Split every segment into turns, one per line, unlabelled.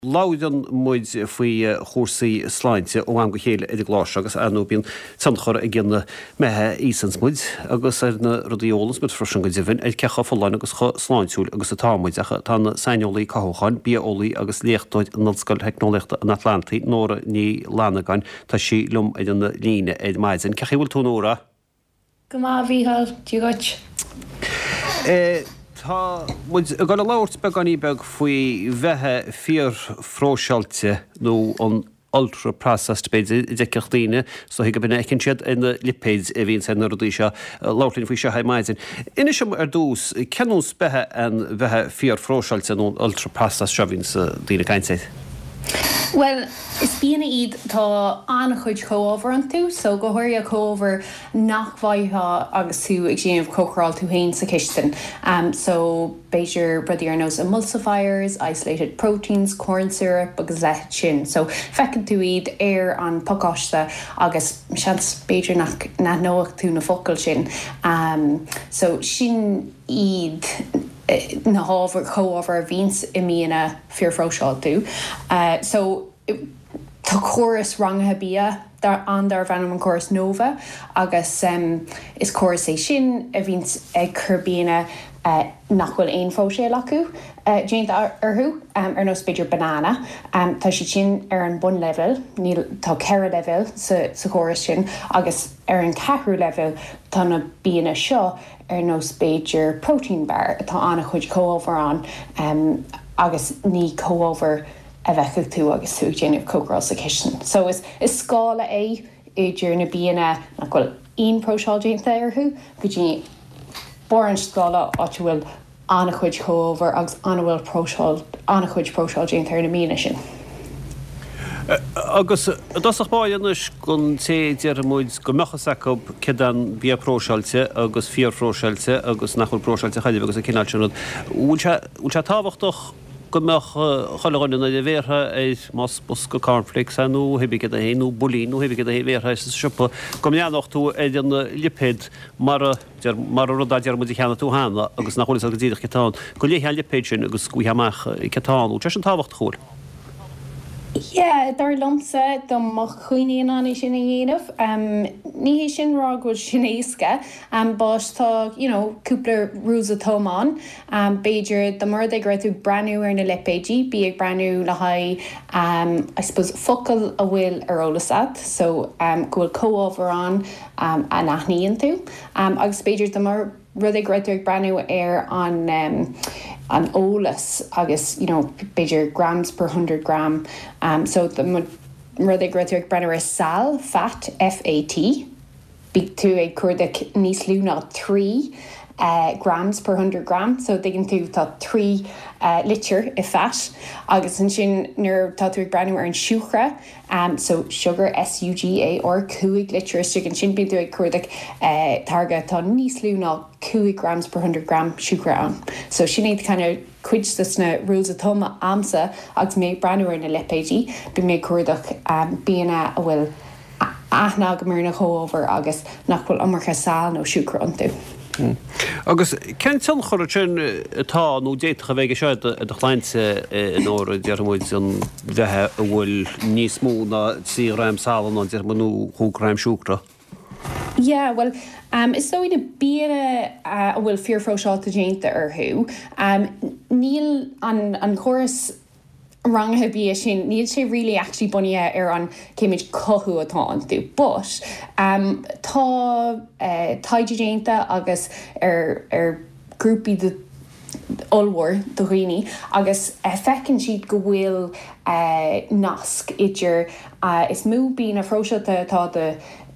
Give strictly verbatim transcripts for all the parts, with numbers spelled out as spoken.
Labhrann muid faoi chúrsaí sláinte ó am go chéile ar an gclár seo agus ar ndóigh bíonn tionchar ag an mbeatha a íosanns muid agus ar na rudaí a ólanns muid freisin go deimhin ar cé chomh folláin agus chomh sláintiúil agus atá muid ach tá an saineolaí cothúcháin, bia-eolaí agus léachtóir in Ollscoil Theicneolaíochta an Atlantaigh, Nóra Ní Fhlannagáin, tá sí liom ar an líne ar maidin. Cén chaoi a bhfuil tú Nóra?
Go maith a Mhícheáil, Dia dhuit.
Tá muid ag dul a labhairt beagáinín beag faoi bheatha fíorphróiseáilte nó an ultra processed b'fhéidir a d'fheicfeadh daoine so go minic fheiceann siad ar na lipéid a bhíonns ar na rudaí seo labhairt linn faoi seo ar maidin. Inis dom ar dtús cén nós beatha an bheatha fíorphróiseáilte nó an ultra processed seo a bhíonns daoine ag caint air?
Bhuel, is bianna iad tá an-chuid comhábhar iontu, so go háirithe comhábhair nach bhfaighfeá agus tú ag déanamh cócaráil tú féin sa chistin. Um, so b'fhéidir rudaí ar nós emulsifiers, isolated proteins, corn syrup agus leithéid sin. So feiceann tú iad ar an pacáiste agus seans b'fhéidir nach n-aithneodh tú na focail sin. Um, so sin iad na hábhair chomhábhair a bhíonns i mbianna fíorphróiseáilte. Uh, so tá córas rangaithe bia ann darb ainm an córas NOVA agus um, is córas é sin a bhíonns ag cur bianna uh, nach bhfuil aon phróiseáil acu uh, déanta orthu um, ar nós b'fhéidir banana. Um, tá siad sin ar an bunlevel, níl tá ceithre level sa, sa chóras sin agus ar an ceathrú level tá na bianna seo ar nós b'fhéidir protein bar atá an-chuid comhábhar ann um, agus ní comhábhar a bheadh tú agus tú déanamh cócaráil sa chistin. So is, is scála é idir na bianna nach bhfuil aon phróiseáil déanta orthu go dtí barr an scála áit a bhfuil an-chuid comhábhar agus an-bhfuil próiseáil an-chuid próiseáil déanta ar na bianna sin.
Agus dosach báis gon té deirmuid go mbeadh acu céard an bia próiseáilte agus fíorphróiseáilte agus nach bhfuil próiseáilte chaidir agus an cineál sin rud. Bhfuil sé tábhachtach go mbeadh chuile dhuine nuair a bhéartha ar más bosca cornflakes é nó hibé cad é nó builín nó hibé cad é bhéartha sa siopa go mbreathnódh tú ar an lipéad mar mar rud a deir muid a cheannaigh tú cheana agus nach bhfuil go díreach cad atá ann go léifeá an lipéad sin agus go bhfaighfeá amach cad atá ann. Sé sin tábhachtach bhfuil.
Yeah, dar liomsa dá mbeadh daoine in ann é sin a dhéanamh. Um, ní hé sin rá go bhfuil sin éasca, um, but tá you know, cúpla rules of thumb ann. Um, B'fhéidir dá mba rud é go raibh tú breathnú ar na lipéidí, bí ag breathnú le haghaidh um, I suppose focal a bhfuil ar eolas agat, so um, go bhfuil comhábhar ann um, a n-aithníonn tú. Um, agus b'fhéidir dá mba rud é go raibh tú ag breathnú ar an um, an eolas agus you know, b'fhéidir grams per hundred gram. Um, so dá mba rud é go raibh tú ag breathnú ar sal fat FAT, bí tú ag cuardach níos lú ná trí uh, grams per hundred gram, so tuigeann tú tá trí uh, litir i fat agus ansin nuair tá tú ag breathnú ar an siúcra um, so sugar SUGAR cúig litir istigh ansin bíonn tú ag cuardach uh, táirge tá níos lú ná cúig grams per hundred gram siúcra ann. So sin iad kind of cuid de na rules of thumb agamsa agus mé ag breathnú ar na lipéidí, bí mé cuardach um, bianna a bhfuil aithne agam ar na comhábhair agus nach bhfuil iomarca sal nó siúcra iontu.
Hmm. Agus cén tionchar sin atá nó d'fhéadfadh a bheith seo do shláinte nuair a deir muid an bheatha a bhfuil níos mó ná trí ghram sal nó deir nó cúig ghram siúcra.
Yeah, well, um, is dóigh na bianna uh, a bhfuil fíorphróiseáilte déanta orthu. Um, níl an, an chóras rangaithe bia sin níl sé really actually bunaithe ar an cé méid cothú atá iontu. But um, tá uh, taighde déanta agus ar, ar grúpaí de ollmhór do dhaoine agus uh, feiceann siad go bhfuil uh, nasc idir uh, is mó bianna phróiseáilte atá de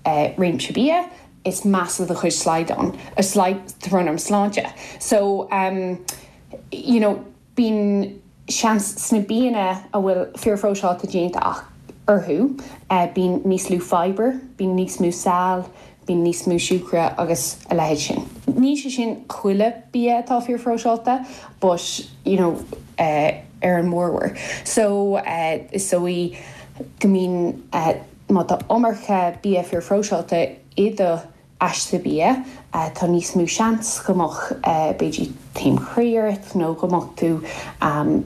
uh, réimse bia, is measa do chuid slaghdán a slaghdán sláinte. So um, you know, bíonn seans sna bianna a bhfuil fíorphróiseáilte déanta ach orthu, uh, bíonn níos lú fiber, bíonn níos mó sal, bíonn níos mó siúcra agus a leithéid sin. Ní sé sin chuile bia atá fíorphróiseáilte, but you know, uh, ar an mórmhór. So uh, is dóigh go mbíonn uh, má tá iomarca bia fíorphróiseáilte i do aiste bia, tá níos mó seans go mbeadh b'fhéidir taom croí ort nó go mbeadh tú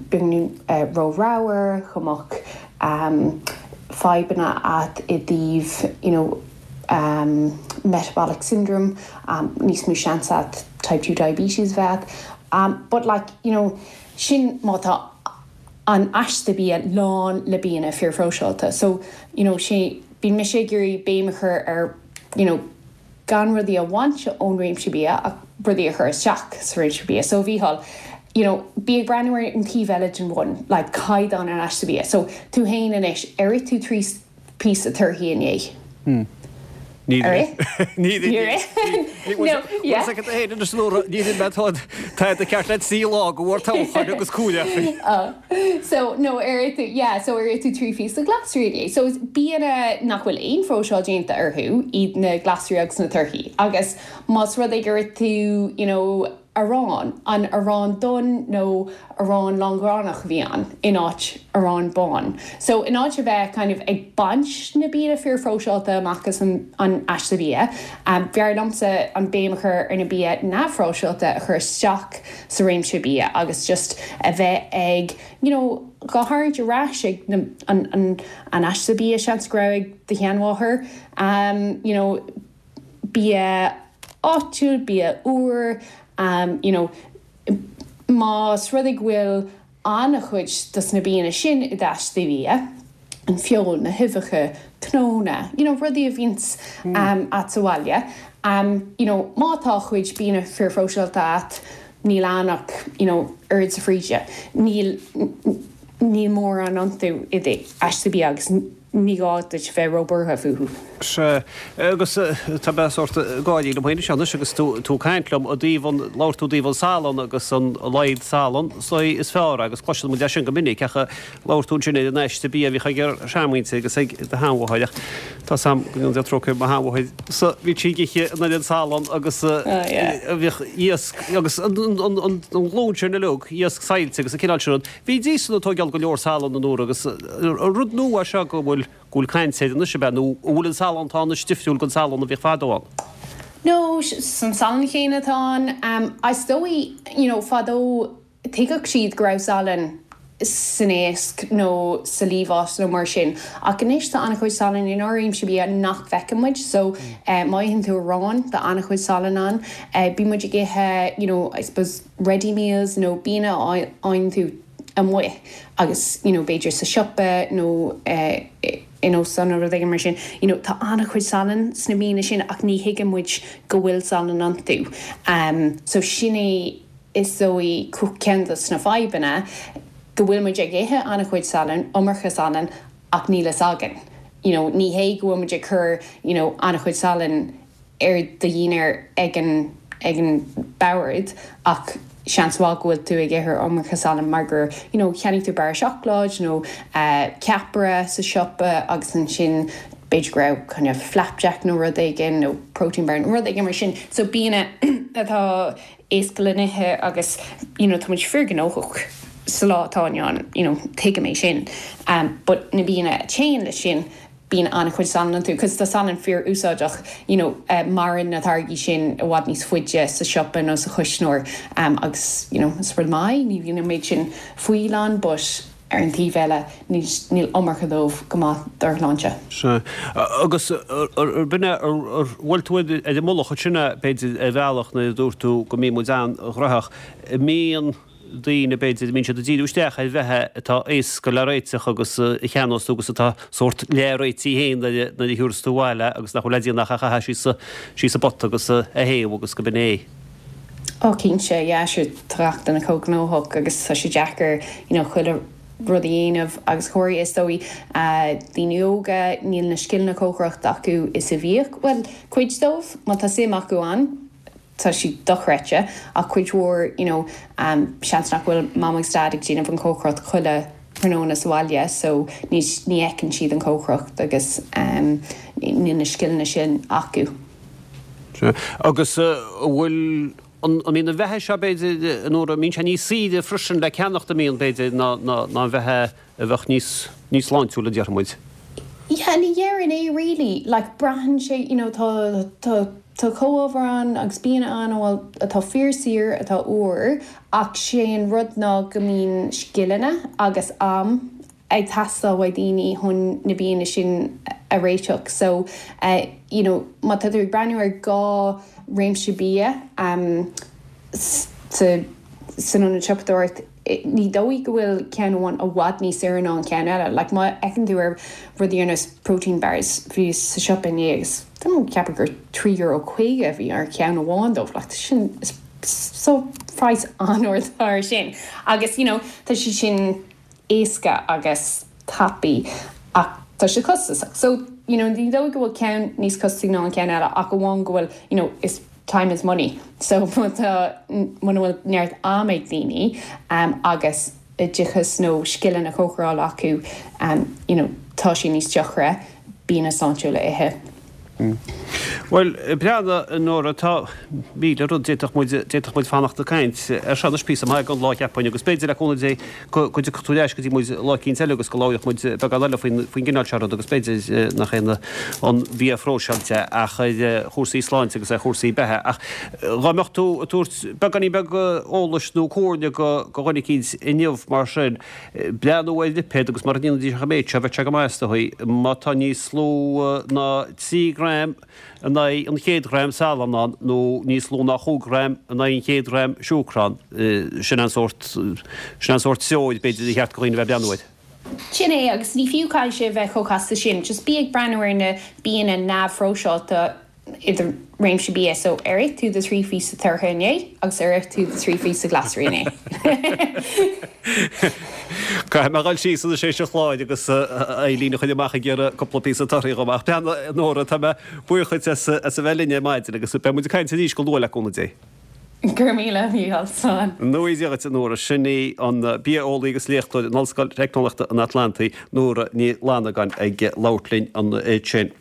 beagáinín ró-ramhar, go mbeadh fadhbanna agat i dtaobh you know metabolic syndrome, níos mó seans agat type two diabetes a bheith agat. But like you know sin má tá an aiste bia lán le bianna fíorphróiseáilte. So you know sé bíonn mise ag iarraidh béim a chur ar you know gan rudaí a bhaint ón réimse bia ach rudaí a chur isteach sa réimse bia. So Mhícheál, you know, bí ag breathnú ar an taobh eile den bhun, like caighdeán an aiste bia. So tú féin anois, ar ith tú trí píosa torthaí inné?
Hmm. Ní Ní Tá ceart le sí lá go bhfuair toghchán agus cúile.
So no ar ith tú yeah, so ar ith tú trí phíosa glasraí inné. So is bianna nach bhfuil aon phróiseáil déanta orthu iad na glasraí agus na torthaí. Agus más rud é gur ith tú you know, arán, an arán donn nó arán lángránach a bhí ann in áit arán bán. So in áit a bheith kind of ag baint na bianna fíorphróiseáilte amach as an, an aiste bia, um, b'fhearr liomsa an béim a chur ar na bia neamhphróiseáilte a chur isteach sa réimse bia agus just a bheith ag you know, á tharraingt ar ais ag na, an, an, an aiste bia seans go raibh ag do sheanmháthair, um, you know, bia áitiúil, bia úr, um, you know, más rud é go bhfuil an-chuid dos na bianna sin i d'aiste bhia, an feoil, na huibheacha, cnónna, you know, rudaí a bhíonns mm. um, agat sa bhaile. Um, you know, má tá chuid bianna fíorphróiseáilte agat, níl ann ach you know, oiread sa fríde. Níl níl mórán iontu i d'aiste bia agus ní gá duit bheith róbhuartha fúthu.
Sea, agus tá mé sórt gáirí liom féin anois agus tú ag caint liom i dtaobh an, labhair tú i dtaobh an salann agus an laghad salann so is fearr agus cloiseann muid é sin go minic ach labhair tú ansin ar an aiste bia a bhíodh ag ár seanmhuintir agus ag do sheanmháthair ach tá 's a'm go ndéana Dia trócaire ar mo sheanmháthair so bhí sí ag ithe an oiread salann agus bhíodh iasc agus an ghlúin sin uilig iasc saillte agus an cineál sin rud. Bhídís ag tógáil go leor salann an uair agus rud nua é seo go bhfuil go bhfuil caint air anois ab ea nó an bhfuil an salann atá anois difriúil den salann a bhíodh fadó ann?
No, an salann chéanna atá ann. Is dóigh, you know, fadó thuigfeadh siad go raibh salann san éasc nó sa liamhás nó mar sin. Ach anois tá an-chuid salainn inár réimse bia nach bhfeiceann muid so má itheann tú arán tá an-chuid salainn ann. Bíonn muid ag ithe you know, I suppose ready meals nó bianna a fhaigheann tú amuigh agus you know, b'fhéidir sa siopa nó in óstán nó rud éigin mar sin. You know, tá an-chuid salainn sna bianna sin ach ní thuigeann muid go bhfuil salann iontu. Um, so sin é is dóigh ceann de na fadhbanna go bhfuil muid ag ithe an-chuid salainn, iomarca salainn ach níl fhios againn. You know, ní hé go bhfuil muid ag cur you know, an-chuid salainn ar do dhinnéar ag an ag an bord ach seans mhaith go bhfuil tú ag ithe iomarca salainn mar gur you know, cheannaigh tú barra seacláid nó uh, ceapaire sa siopa agus ansin b'fhéidir go raibh kind of flapjack nó rud éigin nó protein bar nó rud éigin mar sin. So bianna atá éasca le n-ithe agus you know, tá muid fíorghnóthach sa lá atá inniu ann, you know, tuigim é sin. Um, but na bianna a théann leis sin bíonn an-chuid salann iontu, cos tá salann fíor-úsáideach, you know, uh, maireann na táirgí sin i bhfad níos faide sa siopa nó sa chuisneoir um, agus you know, is rud maith, ní bhíonn an méid sin fuíll ann, but ar an taobh eile níl iomarca dóibh go maith dár shláinte.
Sea. Agus b'in é, ar bhfuil tú ar an mullach ansin b'fhéidir ar bhealach nuair a dúirt tú go mbíonn muid an-ghnóthach, mbíonn daoine b'fhéidir, mbíonn siad ag díriú isteach ar bheatha atá éasca le réiteach agus a cheannós tú agus atá sórt leath-réitithe féin nuair a thiúrfas tú abhaile agus nach bhfuil le déanamh ach a chaitheamh síos síos sa bpota agus a théamh agus go b'in é.
Ó cinnte, yeah, sure, tá gach duine chomh gnóthach agus tá sé deacair, you know, chuile rud a dhéanamh agus go háirithe is dóigh daoine óga níl na scileanna cócaireachta acu is a bhíodh, bhuel, cuid dóibh, má tá suim acu ann, tá sé dochreidte ach cuid mhór, you know, seans nach bhfuil mam agus dad ag déanamh an chócaireacht chuile thráthnóna sa bhaile so ní ní fheiceann siad an chócaireacht agus níl na scileanna sin acu.
Agus an bhfuil An mbíonn an bheatha seo, b'fhéidir, a Nóra, an mbíonn sé níos saoire freisin le ceannacht, an mbíonn, b'fhéidir, ná an bheatha a bheadh níos, níos sláintiúla, a déarfaidh muid?
Yeah, ní dhéarfainn é really. Like, braitheann sé, you know, tá, tá tá comhábhair ann agus bianna ann bhfuil atá fíorshaor atá úr ach sé an rud ná go mbíonn scileanna agus am ag teastáil uaidh daoine chun na bianna sin a réiteach so uh, you know, má tá tú ag breathnú ar dhá réimse bia um, sa san ionad siopadóireacht ní dóigh go bhfuil ceann amháin i bhfad níos saoire ná an ceann eile, like má fhéachann tú ar rudaí ar nós protein bars bhí sa siopa inné agus ceapaim gur trí euro caoga bhí ar ceann amháin dóibh like, sin so praghas an-ard ar sin. Agus you know, tá sé sin éasca agus tapaidh ach tá sé costasach. So you know, ní dóigh go bhfuil ceann níos costasaí ná an ceann eile ach amháin go bhfuil you know, is time is money. So muna bhfuil neart am ag daoine um, agus oideachas nó scileanna cócarála acu um, you know, tá sé níos deacra bianna sláintiúla a ithe.
Mm. Well breathnaigh Nóra tá míle rud d'fhéadfadh muid fanacht ag caint ar seo anois píosa maith den lá cheapfainn agus b'fhéidir le cúnamh Dé go dtiocfaidh tú ar ais go dtí muid lá eicínt eile agus go labhróidh muid beagán eile faoin gcineál seo rud agus b'fhéidir nach é an bia phróiseáilte ach ar chúrsaí sláinte agus ar chúrsaí beatha ach dá mbeadh tú ag tabhairt beagáinín beag eolais nó comhairle go dhuine eicínt inniu mar sin breathnú ar lipéad agus mura ndéanfaidís an méid seo bheadh sé go maith is dóigh má tá níos lú ná trí ghram in aghaidh an chéad ghram salann ann nó níos lú ná chúig ghram in aghaidh an chéad ghram siúcra ann. Sin an sórt, sin an sórt treoir b'fhéidir a cheart do dhaoine a bheith ag breathnú air.
Sin é, agus ní fiú caithfidh sé a bheith chomh casta sin, just bí ag breathnú ar na bianna neamhphróiseáilte i do réimse bia, so ar ith tú do thrí phíosa tortha inné agus ar ith tú do thrí phíosa glasraí inné.
Caithfidh mé dhul síos anois théis an chláir agus Eileen a choinneáil amach ag iarraidh cúpla píosa torthaí dhom. Ach breathnaigh, Nóra, tá mé buíoch dhuit as a bheith linn ar maidin agus beidh muid ag caint arís go luath le cúnamh Dé.
Go raibh míle, a Mhícheáil, slán.
Nóra Dia dhuit, a Nóra. Sin í an bia-eolaí agus léachtóir in Ollscoil Teicneolaíochta an Atlantaigh, Nóra Ní Fhlannagáin, ag labhairt linn ansin.